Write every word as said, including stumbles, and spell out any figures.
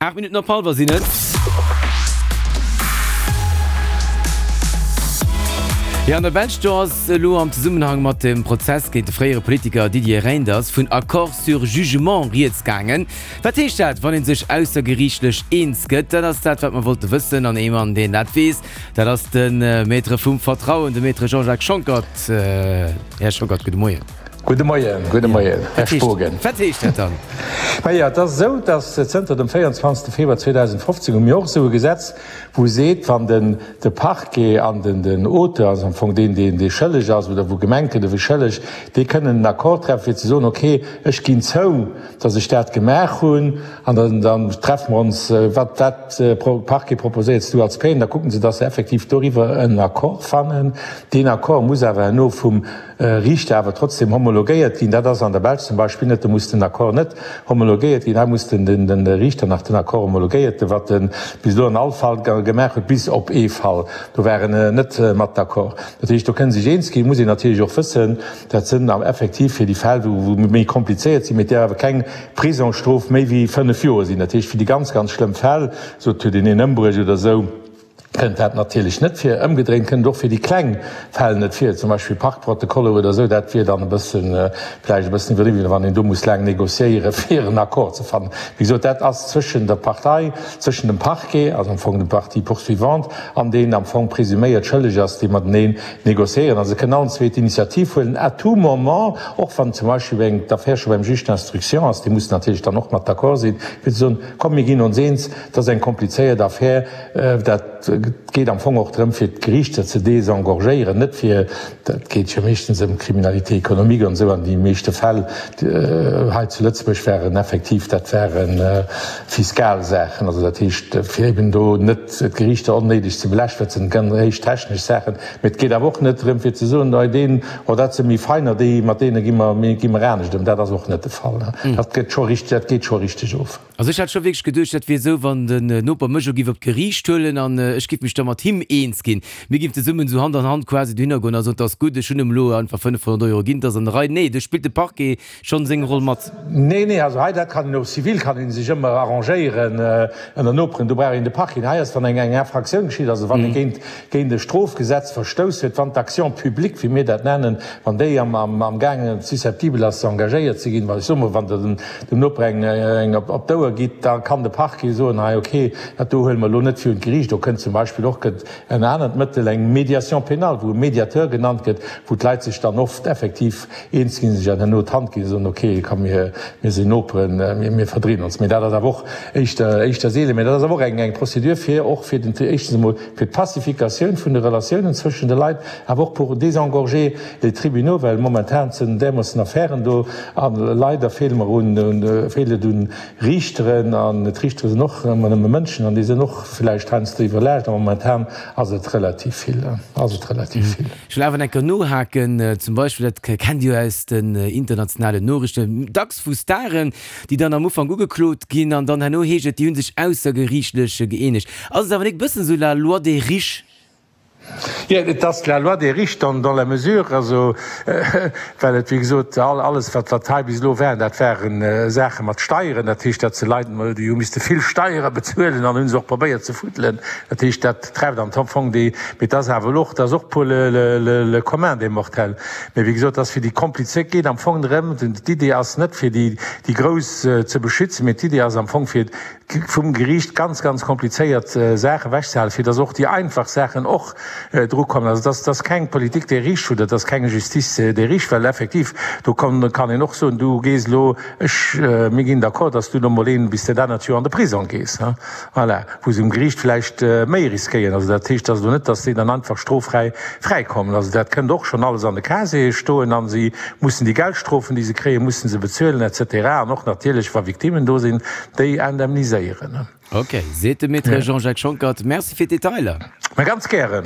Aacht Minutten op hallwer sinn et. Jo, an der Belsch, do ass elo am Zesummenhang mat dem Prozess géint de fréiere Politiker Didier Reynders vun Accord sur jugement rieds gaangen. Wat heescht dat, wann ee sech aussergeriichtlech eens gëtt? Dat ass dat, wat mer wollte wëssen. An ee Mann, deen dat weess, dat ass de Maître vum Vertrauen, de Maître Jean-Jacques Schonckert. Här Schonckert, gudde Moien. Gudde Moien, gudde Moien, Här Spogen. Wat heescht dat dann? Majo, et ass esou, datt zënter dem véierundzwanzegste Februar zweedausendfofzéng hu mir och esou e Gesetz, wou seet, wann den de Parquet an den den Auteur, also am Fong deen, deen dee schëlleg ass oder wou gemengt gëtt, e wier schëlleg, déi kënnen en Accord treffen, fir ze soen, okay, ech ginn zou, datt ech dat gemaach hunn, an dann dann treffe mer ons, wat wat Parquet proposéierts du als Peine, da kucken se, datt se effektiv doriwwer en Accord fannen. Deen Accord muss awer herno vum Riichter awer trotzdem homologéiert ginn. Dat ass an der Belsch zum Beispill net, do muss den Accord net homologéiert ginn. Hei muss den den Riichter nach den Accord homologéiert, wat e bis elo an all Fall gemaach huet, bis op ee Fall, do war en net mat d'accord. Dat heescht, do kënne sech eens ginn. Muss een natierlech och wëssen, dat sënn effektiv fir déi Fäll, wou méi komplizéiert sinn, mee där awer keng Prisongsstrof méi wéi fënnef Joer sinn. Dat heescht, fir déi ganz, ganz schlëmm Fäll, sot huet een een ëmbruecht oder esou, kënnt dat natierlech net vir. Ëmgedréint kënnt et och fir déi kleng Fäll net vir, zum Beispill Parkprotokoller oder esou. Dat wier dann e bëssen, vläicht e bëssen iwwerdriwwen, wann een do muss laang négociéieren, fir en Accord ze fannen. Wéi gesot, dat ass zwëschen der Partei, zwëschen dem Parquet, also am Fong dem Partie poursuivante, an deen am Fong presuméiert schëlleg ass, déi mateneen négociéieren. Also se kënnen allen zwee d'Initiativ huelen à tout moment, och wann zum Beispill eng d'Affär scho beim Juge d'instruction ass, dee muss natierlech dann och mat d'accord sinn, fir ze soen, komm mir ginn ons eens, dat ass eng komplizéiert Affär, dat geet am Fong och drëm, fir d'Geriichter ze désengorgéieren, net fir, dat geet jo meeschtens ëm Criminalité économique an esou, an déi meeschte Fäll hei zu Lëtzebuerg waren effektiv, dat ware fiskal Saachen, also dat heescht, fir eben do net d'Geriichter onnéideg ze belaaschten, dat sinn ganz héich technesch Saachen, mee et geet awer och net drëm, fir ze soen, hei deen, oh dat si méi Feiner, déi, mat deene gi mer, gi mer anescht ëm. Dat ass och net de Fall. Dat gëtt scho richteg, dat geet scho richteg of. Also ech hat scho wierklech geduecht, dat wier esou, wann den Noper mech elo giff op d'Geriicht huelen an ech giff mech da mat him eens ginn. Mir giffen zesummen esou Hand an Hand quasi dohinner goen a soen, 't ass gutt, ech hunn em elo einfach fënnefhonnert Euro ginn, 't ass an der Rei. Nee, do spillt de Parquet schonn seng Roll mat. Nee, nee, also hei, dat kann een och civil kann ee sech ëmmer arrangéieren ënner Noperen, do brauch een de Parquet net. Hei ass dann eng eng Infractioun geschitt, also wann ee géint géint e Strofgesetz verstouss huet, wann d'Action publique, wéi mir dat nennen, wann déi am am amgaangen susceptibel ass engagéiert ze ginn, well ech soe mol, wann Der dem dem Noper eng eng op op d'Ouer gitt, da kann de Parquet soen, hei okay, dat do huele mer elo net virun d'Geriicht. Do kënnt zum Beispill och gëtt en anert Mëttel, eng Médiation pénale, wou e Médiateur genannt gëtt, wou d'Leit sech dann oft effektiv eens ginn, sech herno d'Hand ginn a soen, okay, komm mir mir sinn Noperen, mir mir verdreen ons. Mee dat ass awer och éischter éischter seelen. Mee dat ass awer och eng eng Procédure fir och fir den éischtens emol fir d'Pacificatioun vun de Relatiounen zwëschen de Leit, awer och pour désengorger les tribunaux, well momentan sinn därmoossen Affären do a leider feele mer un, feelt et un Riichteren an d'Riichtere sinn och ëmmer nëmme Mënschen an déi sinn och vläicht heiansdo iwwerlaascht a momentan ass et relativ vill, ass et relativ vill. Ech wëll awer enker nohaken, zum Beispill, dat kennt Dir jo aus den internationalen Noriichten, dacks vu Staren, déi dann am Ufank ugeklot ginn an dann herno heescht et, déi hu sech aussergeriichtlech gëeenegt. Ass et awer nik bëssen esou la loi des riches? Jo, et ass la loi des riches dans, dans la mesure, also well et, wéi gesot, alles, wat, wat hei bis elo war, dat ware Saache mat Steieren, dat heescht, dat se Leit, déi hu misste vill Steiere bezuelen an hu se och probéiert ze fuddelen. Dat heescht, dat trefft am Fong déi, mee et ass awer elo och, et ass och pour le, le, le, le commun des mortels. Mee wéi gesot, et ass fir déi komplizéiert, geet am Fong drëm, d'Idee ass net fir déi, déi Grouss ze beschützen, mee d'Idee ass am Fong fir vum Geriicht ganz, ganz komplizéiert Saache ewechzehalen, fir dass och déi einfach Saachen och drukommen. Also dass dass keng Politique des riches oder dass keng Justice des riches, well effektiv do kann kann een och soen, du gees elo, ech, mir ginn d'accord, dass du elo mol een bis dat anert Joer an de Prisong gees, hein, voilà, wou se um Geriicht vläicht méi riskéieren. Also dat heescht also net, dass déi dann einfach stroffräi fräikommen. Also dat kënnt och schonn alles an de Casiere stoen a si mussen déi Geldstrofen, déi se kréien, musse se bezuelen et cetera an och natierlech, wa Victimen do sinn, déi indemniséieren. Ok, seet de Maître Jean-Jacques Schonckert. Merci fir d'Detailer. Mä ganz gären.